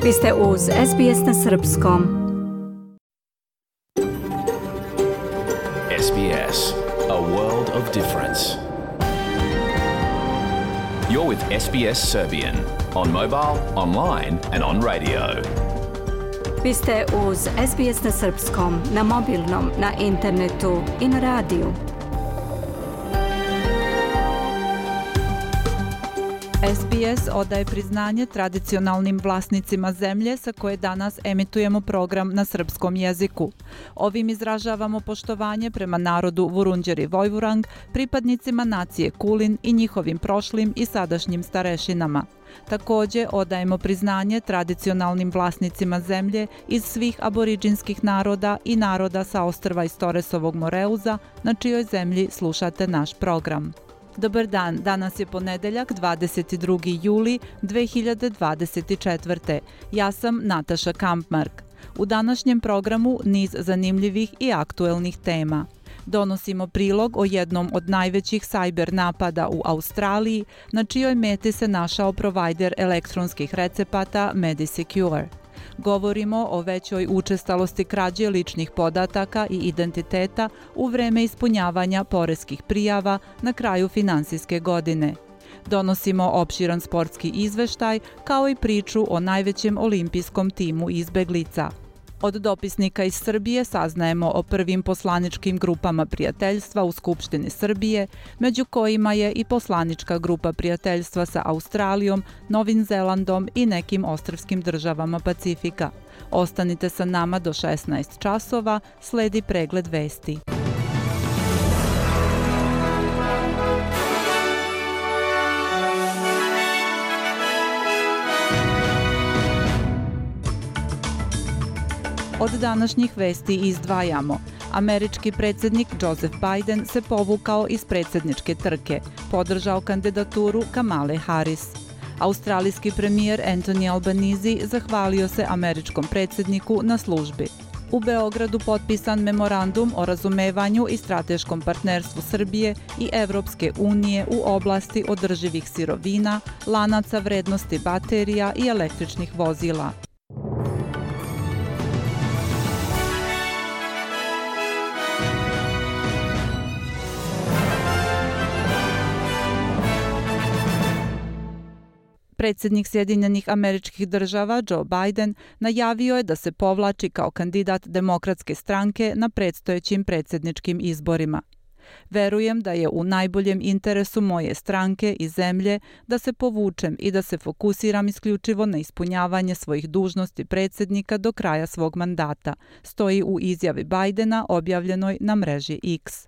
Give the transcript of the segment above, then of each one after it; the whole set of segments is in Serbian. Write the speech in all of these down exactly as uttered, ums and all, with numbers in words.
Vi ste uz S B S na srpskom. S B S, a world of difference. You're with S B S Serbian on mobile, online and on radio. Vi ste uz S B S na srpskom, na mobilnom, na internetu i na radiju. S B S odaje priznanje tradicionalnim vlasnicima zemlje sa koje danas emitujemo program na srpskom jeziku. Ovim izražavamo poštovanje prema narodu Vurundjeri Vojvurang, pripadnicima nacije Kulin i njihovim prošlim i sadašnjim starešinama. Također odajemo priznanje tradicionalnim vlasnicima zemlje iz svih aboriđinskih naroda i naroda sa ostrva iz Toresovog Moreuza, na čijoj zemlji slušate naš program. Dobar dan, danas je ponedeljak dvadeset drugi juli dve hiljade dvadeset četvrte. Ja sam Nataša Kampmark. U današnjem programu niz zanimljivih i aktuelnih tema. Donosimo prilog o jednom od najvećih sajber napada u Australiji, na čijoj meti se našao provajder elektronskih recepata MediSecure. Govorimo o većoj učestalosti krađe ličnih podataka i identiteta u vreme ispunjavanja poreskih prijava na kraju finansijske godine. Donosimo opširan sportski izveštaj kao i priču o najvećem olimpijskom timu izbeglica. Od dopisnika iz Srbije saznajemo o prvim poslaničkim grupama prijateljstva u Skupštini Srbije, među kojima je i poslanička grupa prijateljstva sa Australijom, Novim Zelandom i nekim ostrvskim državama Pacifika. Ostanite sa nama do šesnaest časova, sledi pregled vesti. Od današnjih vesti izdvajamo. Američki predsjednik Joseph Biden se povukao iz predsjedničke trke, podržao kandidaturu Kamale Harris. Australijski premijer Anthony Albanese zahvalio se američkom predsjedniku na službi. U Beogradu potpisan memorandum o razumevanju i strateškom partnerstvu Srbije i Evropske unije u oblasti održivih sirovina, lanaca vrednosti baterija i električnih vozila. Predsjednik Sjedinjenih Američkih Država Joe Biden najavio je da se povlači kao kandidat Demokratske stranke na predstojećim predsjedničkim izborima. Verujem da je u najboljem interesu moje stranke i zemlje da se povučem i da se fokusiram isključivo na ispunjavanje svojih dužnosti predsjednika do kraja svog mandata, stoji u izjavi Bidena objavljenoj na mreži X.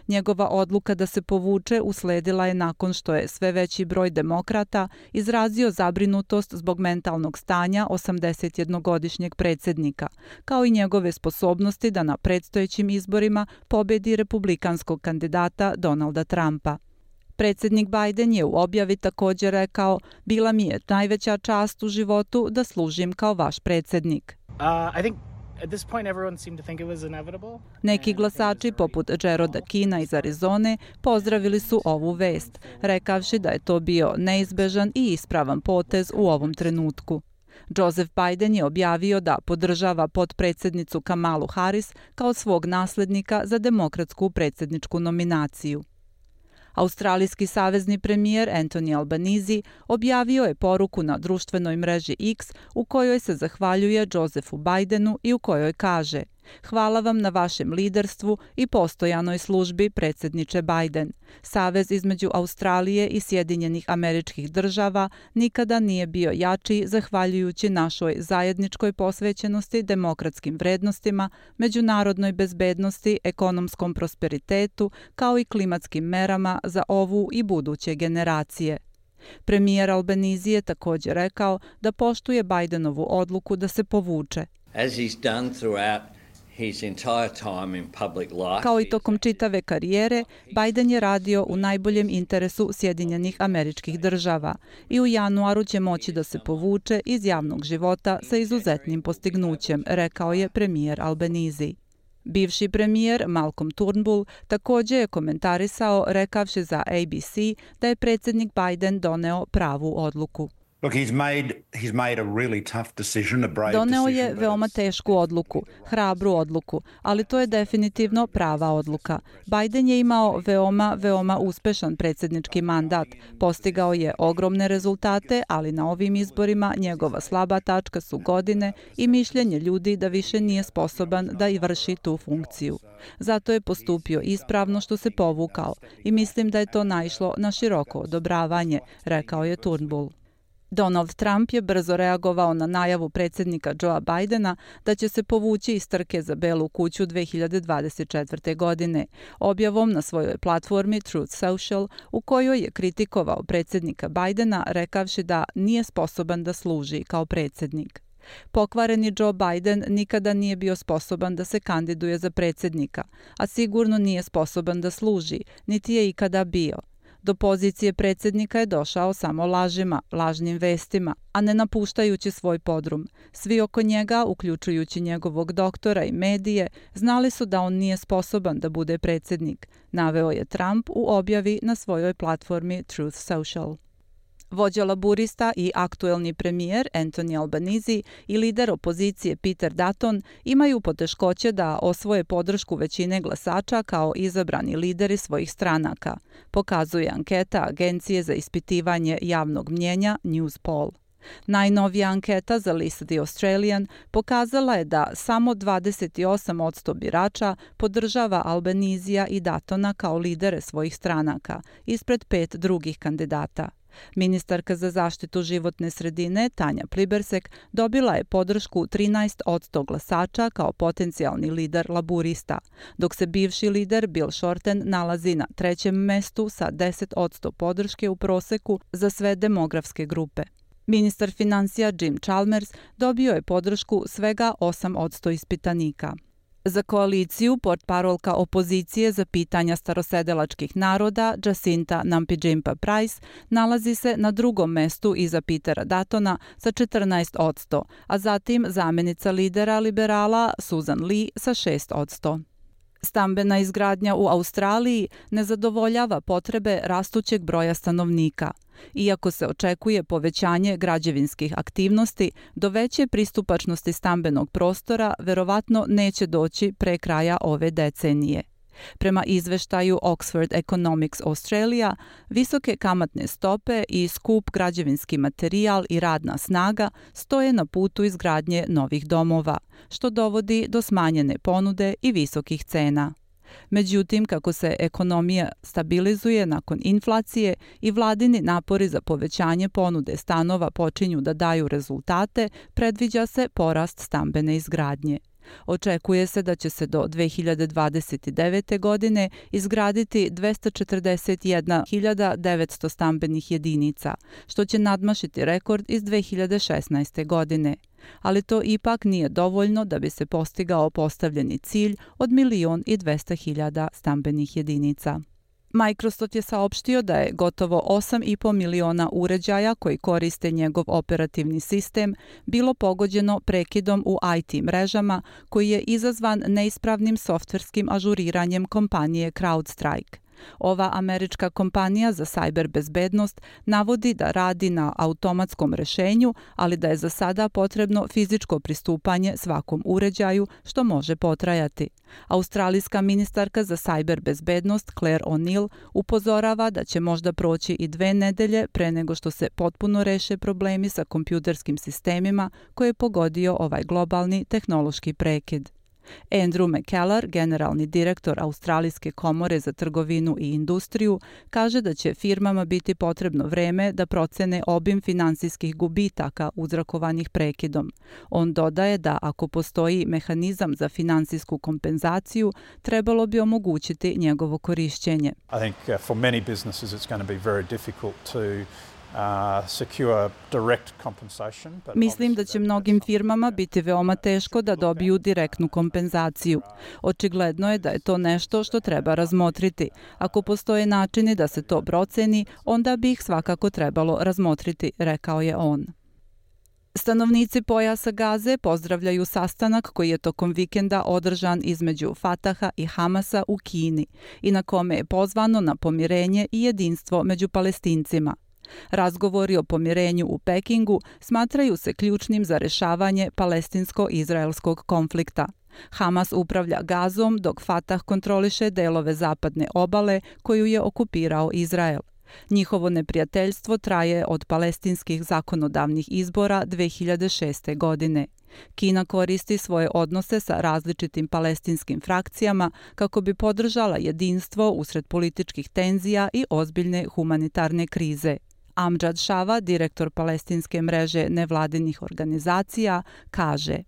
Njegova odluka da se povuče usledila je nakon što je sve veći broj demokrata izrazio zabrinutost zbog mentalnog stanja osamdesetjednogodišnjeg predsjednika, kao i njegove sposobnosti da na predstojećim izborima pobedi republikanskog kandidata Donalda Trumpa. Predsjednik Biden je u objavi također rekao: "Bila mi je najveća čast u životu da služim kao vaš predsjednik." Uh, I think At this point, everyone seemed to think it was inevitable. Neki glasači, poput Jeroda Keena iz Arizone, pozdravili su ovu vest, rekavši da je to bio neizbežan i ispravan potez u ovom trenutku. Joseph Biden je objavio da podržava potpredsjednicu Kamalu Harris kao svog naslednika za demokratsku predsjedničku nominaciju. Australijski savezni premijer Anthony Albanese objavio je poruku na društvenoj mreži X u kojoj se zahvaljuje Josephu Bidenu i u kojoj kaže: "Hvala vam na vašem liderstvu i postojanoj službi, predsjedniče Biden. Savez između Australije i Sjedinjenih Američkih Država nikada nije bio jači zahvaljujući našoj zajedničkoj posvećenosti demokratskim vrednostima, međunarodnoj bezbednosti, ekonomskom prosperitetu, kao i klimatskim merama za ovu i buduće generacije." Premijer Albanese je također rekao da poštuje Bidenovu odluku da se povuče. As he's done throughout Kao i tokom čitave karijere, Biden je radio u najboljem interesu Sjedinjenih Američkih Država i u januaru će moći da se povuče iz javnog života sa izuzetnim postignućem, rekao je premijer Albanese. Bivši premijer Malcolm Turnbull također je komentarisao rekavši za A B C da je predsjednik Biden doneo pravu odluku. Doneo je veoma tešku odluku, hrabru odluku, ali to je definitivno prava odluka. Biden je imao veoma, veoma uspešan predsjednički mandat. Postigao je ogromne rezultate, ali na ovim izborima njegova slaba tačka su godine i mišljenje ljudi da više nije sposoban da i vrši tu funkciju. Zato je postupio ispravno što se povukao i mislim da je to naišlo na široko odobravanje, rekao je Turnbull. Donald Trump je brzo reagovao na najavu predsjednika Joea Bidena da će se povući iz trke za Belu kuću dve hiljade dvadeset četvrte. godine, objavom na svojoj platformi Truth Social u kojoj je kritikovao predsjednika Bidena rekavši da nije sposoban da služi kao predsjednik. Pokvareni Joe Biden nikada nije bio sposoban da se kandiduje za predsjednika, a sigurno nije sposoban da služi, niti je ikada bio. Do pozicije predsjednika je došao samo lažima, lažnim vestima, a ne napuštajući svoj podrum. Svi oko njega, uključujući njegovog doktora i medije, znali su da on nije sposoban da bude predsjednik, naveo je Trump u objavi na svojoj platformi Truth Social. Vođa laburista i aktuelni premijer Anthony Albanese i lider opozicije Peter Dutton imaju poteškoće da osvoje podršku većine glasača kao izabrani lideri svojih stranaka, pokazuje anketa Agencije za ispitivanje javnog mnjenja Newspoll. Najnovija anketa za list The Australian pokazala je da samo dvadeset osam posto birača podržava Albanesija i Duttona kao lidere svojih stranaka, ispred pet drugih kandidata. Ministarka za zaštitu životne sredine Tanja Plibersek dobila je podršku trinaest posto glasača kao potencijalni lider laburista, dok se bivši lider Bill Shorten nalazi na trećem mestu sa deset posto podrške u proseku za sve demografske grupe. Ministar financija Jim Chalmers dobio je podršku svega osam posto ispitanika. Za koaliciju portparolka opozicije za pitanja starosedelačkih naroda Jacinta Nampijinpa Price nalazi se na drugom mestu iza Petera Duttona sa četrnaest posto, a zatim zamjenica lidera liberala Susan Lee sa šest posto. Stambena izgradnja u Australiji ne zadovoljava potrebe rastućeg broja stanovnika. Iako se očekuje povećanje građevinskih aktivnosti, do veće pristupačnosti stambenog prostora verovatno neće doći pre kraja ove decenije. Prema izveštaju Oxford Economics Australia, visoke kamatne stope i skup građevinski materijal i radna snaga stoje na putu izgradnje novih domova, što dovodi do smanjene ponude i visokih cena. Međutim, kako se ekonomija stabilizuje nakon inflacije i vladini napori za povećanje ponude stanova počinju da daju rezultate, predviđa se porast stambene izgradnje. Očekuje se da će se do dve hiljade dvadeset devete. godine izgraditi dvesta četrdeset jedna hiljada devetsto stambenih jedinica, što će nadmašiti rekord iz dve hiljade šesnaeste. godine. Ali to ipak nije dovoljno da bi se postigao postavljeni cilj od milion i dvesta hiljada stambenih jedinica. Microsoft je saopštio da je gotovo osam i po miliona uređaja koji koriste njegov operativni sistem bilo pogođeno prekidom u I T mrežama koji je izazvan neispravnim softverskim ažuriranjem kompanije CrowdStrike. Ova američka kompanija za sajber bezbednost navodi da radi na automatskom rešenju, ali da je za sada potrebno fizičko pristupanje svakom uređaju, što može potrajati. Australijska ministarka za sajber bezbednost Claire O'Neill upozorava da će možda proći i dve nedelje pre nego što se potpuno reše problemi sa kompjuterskim sistemima koje je pogodio ovaj globalni tehnološki prekid. Andrew McKellar, generalni direktor Australijske komore za trgovinu i industriju, kaže da će firmama biti potrebno vreme da procene obim finansijskih gubitaka uzrokovanih prekidom. On dodaje da ako postoji mehanizam za finansijsku kompenzaciju, trebalo bi omogućiti njegovo korišćenje. I think uh, for many businesses it's going to be very difficult to Uh, secure direct compensation. Mislim da će mnogim firmama biti veoma teško da dobiju direktnu kompenzaciju. Očigledno je da je to nešto što treba razmotriti. Ako postoje načini da se to proceni, onda bi ih svakako trebalo razmotriti, rekao je on. Stanovnici pojasa Gaze pozdravljaju sastanak koji je tokom vikenda održan između Fataha i Hamasa u Kini i na kome je pozvano na pomirenje i jedinstvo među Palestincima. Razgovori o pomirenju u Pekingu smatraju se ključnim za rešavanje palestinsko-izraelskog konflikta. Hamas upravlja Gazom dok Fatah kontroliše delove zapadne obale koju je okupirao Izrael. Njihovo neprijateljstvo traje od palestinskih zakonodavnih izbora dve hiljade šeste. godine. Kina koristi svoje odnose sa različitim palestinskim frakcijama kako bi podržala jedinstvo usred političkih tenzija i ozbiljne humanitarne krize. Amjad Shava, direktor palestinske mreže nevladinih organizacija, kaže: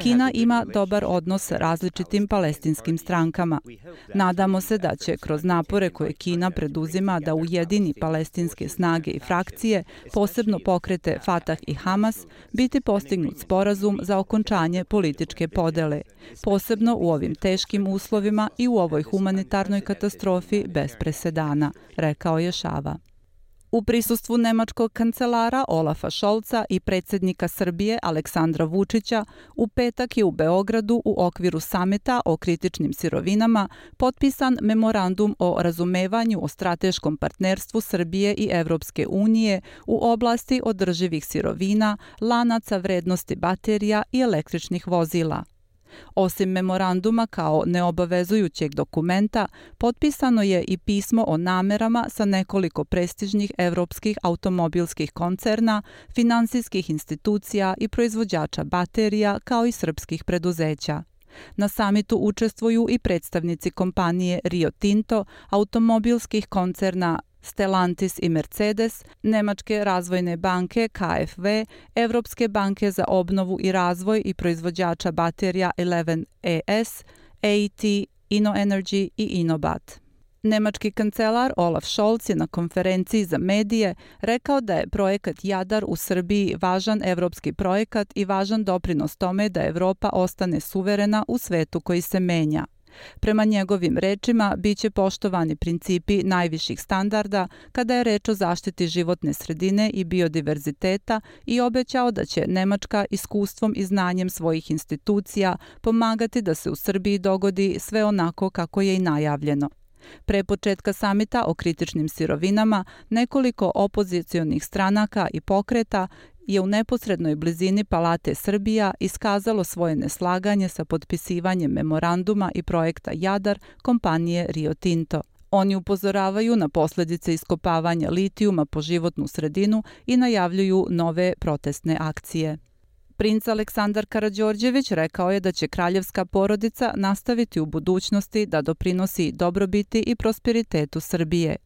Kina ima dobar odnos sa različitim palestinskim strankama. Nadamo se da će kroz napore koje Kina preduzima da ujedini palestinske snage i frakcije, posebno pokrete Fatah i Hamas, biti postignut sporazum za okončanje političke podele, posebno u ovim teškim uslovima i u ovoj humanitarnoj katastrofi bez presedana, rekao je Shava. U prisustvu nemačkog kancelara Olafa Scholza i predsjednika Srbije Aleksandra Vučića u petak je u Beogradu u okviru samita o kritičnim sirovinama potpisan memorandum o razumevanju o strateškom partnerstvu Srbije i Evropske unije u oblasti održivih sirovina, lanaca vrednosti baterija i električnih vozila. Osim memoranduma kao neobavezujućeg dokumenta, potpisano je i pismo o namerama sa nekoliko prestižnih evropskih automobilskih koncerna, finansijskih institucija i proizvođača baterija, kao i srpskih preduzeća. Na samitu učestvuju i predstavnici kompanije Rio Tinto, automobilskih koncerna Stellantis i Mercedes, Nemačke razvojne banke K F W, Evropske banke za obnovu i razvoj i proizvođača baterija Eleven E S, A E T, InnoEnergy i Inobat. Nemački kancelar Olaf Scholz je na konferenciji za medije rekao da je projekat Jadar u Srbiji važan evropski projekat i važan doprinos tome da Evropa ostane suverena u svetu koji se menja. Prema njegovim rečima, biće poštovani principi najviših standarda kada je reč o zaštiti životne sredine i biodiverziteta i obećao da će Nemačka iskustvom i znanjem svojih institucija pomagati da se u Srbiji dogodi sve onako kako je i najavljeno. Pre početka samita o kritičnim sirovinama, nekoliko opozicionih stranaka i pokreta je u neposrednoj blizini Palate Srbija iskazalo svoje neslaganje sa potpisivanjem memoranduma i projekta Jadar kompanije Rio Tinto. Oni upozoravaju na posljedice iskopavanja litijuma po životnu sredinu i najavljuju nove protestne akcije. Princ Aleksandar Karađorđević rekao je da će kraljevska porodica nastaviti u budućnosti da doprinosi dobrobiti i prosperitetu Srbije,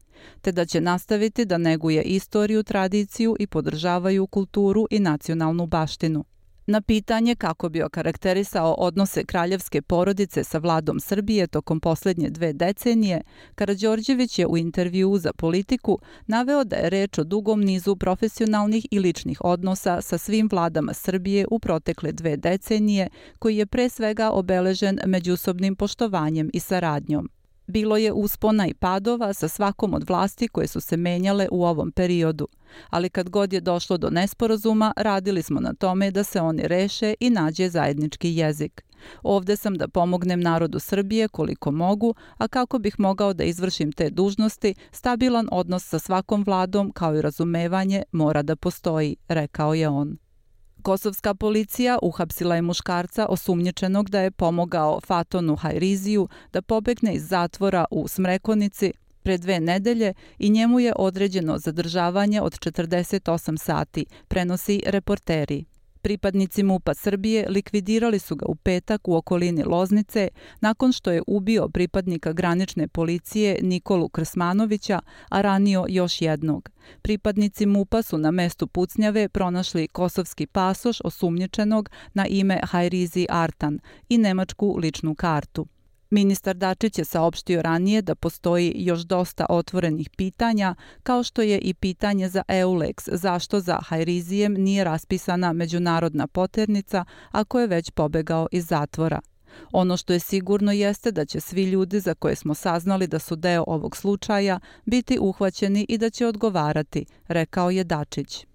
te da će nastaviti da neguje istoriju, tradiciju i podržavaju kulturu i nacionalnu baštinu. Na pitanje kako bi okarakterisao odnose kraljevske porodice sa vladom Srbije tokom posljednje dve decenije, Karađorđević je u intervjuu za Politiku naveo da je reč o dugom nizu profesionalnih i ličnih odnosa sa svim vladama Srbije u protekle dve decenije, koji je pre svega obeležen međusobnim poštovanjem i saradnjom. Bilo je uspona i padova sa svakom od vlasti koje su se menjale u ovom periodu, ali kad god je došlo do nesporazuma, radili smo na tome da se oni reše i nađe zajednički jezik. Ovde sam da pomognem narodu Srbije koliko mogu, a kako bih mogao da izvršim te dužnosti, stabilan odnos sa svakom vladom kao i razumevanje mora da postoji, rekao je on. Kosovska policija uhapsila je muškarca osumnjičenog da je pomogao Fatonu Hajriziju da pobegne iz zatvora u Smrekonici pre dve nedelje i njemu je određeno zadržavanje od četrdeset osam sati, prenosi Reporteri. Pripadnici MUP-a Srbije likvidirali su ga u petak u okolini Loznice nakon što je ubio pripadnika granične policije Nikolu Krsmanovića, a ranio još jednog. Pripadnici MUP-a su na mestu pucnjave pronašli kosovski pasoš osumnjičenog na ime Hajrizi Artan i nemačku ličnu kartu. Ministar Dačić je saopštio ranije da postoji još dosta otvorenih pitanja, kao što je i pitanje za Eulex, zašto za Hajrizijem nije raspisana međunarodna poternica ako je već pobegao iz zatvora. Ono što je sigurno jeste da će svi ljudi za koje smo saznali da su deo ovog slučaja biti uhvaćeni i da će odgovarati, rekao je Dačić.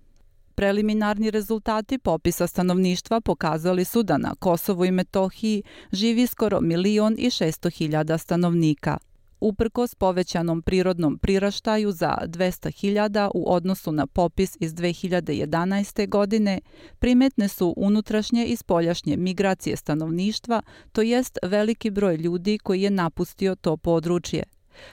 Preliminarni rezultati popisa stanovništva pokazali su da na Kosovu i Metohiji živi skoro milion i šesto hiljada stanovnika. Uprkos povećanom prirodnom priraštaju za dvesta hiljada u odnosu na popis iz dve hiljade jedanaeste. godine, primetne su unutrašnje i spoljašnje migracije stanovništva, to jest veliki broj ljudi koji je napustio to područje.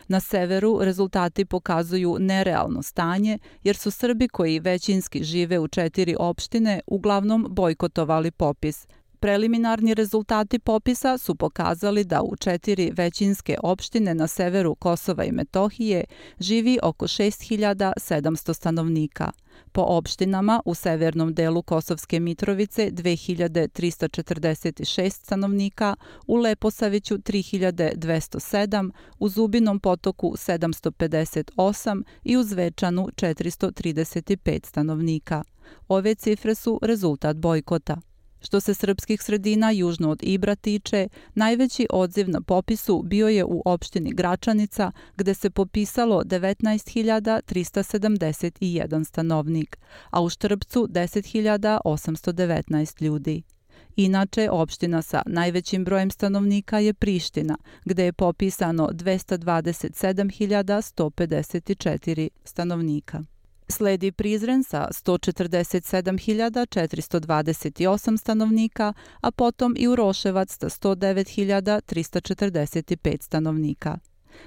Na severu rezultati pokazuju nerealno stanje, jer su Srbi koji većinski žive u četiri opštine uglavnom bojkotovali popis. Preliminarni rezultati popisa su pokazali da u četiri većinske opštine na severu Kosova i Metohije živi oko šest hiljada sedamsto stanovnika. Po opštinama u severnom delu Kosovske Mitrovice dve hiljade trista četrdeset šest stanovnika, u Leposaviću tri hiljade dvesta sedam, u Zubinom Potoku sedamsto pedeset osam i u Zvečanu četiristo trideset pet stanovnika. Ove cifre su rezultat bojkota. Što se srpskih sredina južno od Ibra tiče, najveći odziv na popisu bio je u opštini Gračanica, gde se popisalo devetnaest hiljada trista sedamdeset jedan stanovnik, a u Štrpcu deset hiljada osamsto devetnaest ljudi. Inače, opština sa najvećim brojem stanovnika je Priština, gde je popisano dvesta dvadeset sedam hiljada sto pedeset četiri stanovnika. Sledi Prizren sa sto četrdeset sedam hiljada četiristo dvadeset osam stanovnika, a potom i Uroševac sa sto devet hiljada trista četrdeset pet stanovnika.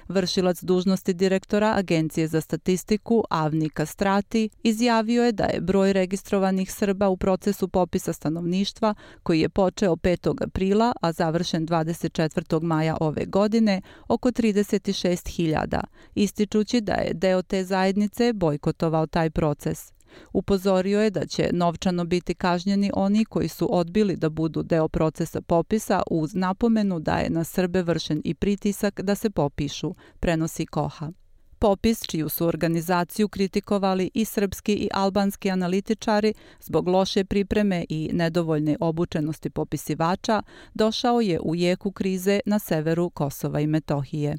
Vršilac dužnosti direktora Agencije za statistiku Avni Kastrati izjavio je da je broj registrovanih Srba u procesu popisa stanovništva, koji je počeo petog aprila, a završen dvadeset četvrtog maja ove godine, oko trideset šest hiljada, ističući da je deo te zajednice bojkotovao taj proces. Upozorio je da će novčano biti kažnjeni oni koji su odbili da budu deo procesa popisa, uz napomenu da je na Srbe vršen i pritisak da se popišu, prenosi Koha. Popis, čiju su organizaciju kritikovali i srpski i albanski analitičari zbog loše pripreme i nedovoljne obučenosti popisivača, došao je u jeku krize na severu Kosova i Metohije.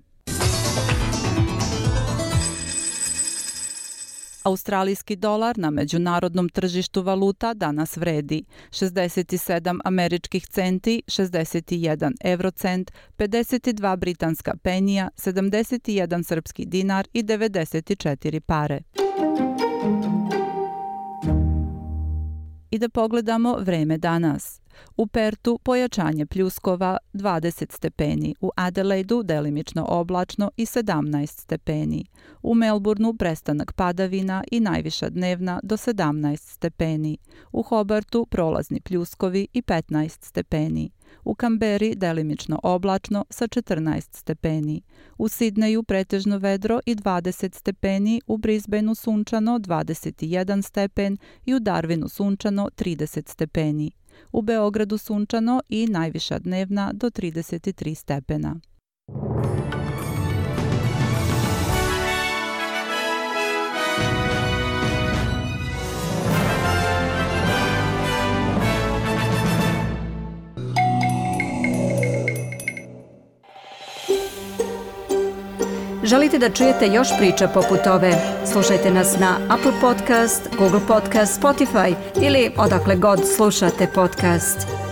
Australijski dolar na međunarodnom tržištu valuta danas vredi šezdeset sedam američkih centi, šezdeset jedan eurocent, pedeset dva britanska penija, sedamdeset jedan srpski dinar i devedeset četiri pare. I da pogledamo vreme danas. U Pertu pojačanje pljuskova dvadeset stepeni, u Adelaidu delimično oblačno i sedamnaest stepeni, u Melbourneu prestanak padavina i najviša dnevna do sedamnaest stepeni, u Hobartu prolazni pljuskovi i petnaest stepeni, u Kamberi delimično oblačno sa četrnaest stepeni, u Sidneju pretežno vedro i dvadeset stepeni, u Brisbaneu sunčano dvadeset jedan stepen i u Darwinu sunčano trideset stepeni. U Beogradu sunčano i najviša dnevna do trideset tri stepena. Želite da čujete još priča poput ove? Slušajte nas na Apple Podcast, Google Podcast, Spotify ili odakle god slušate podcast.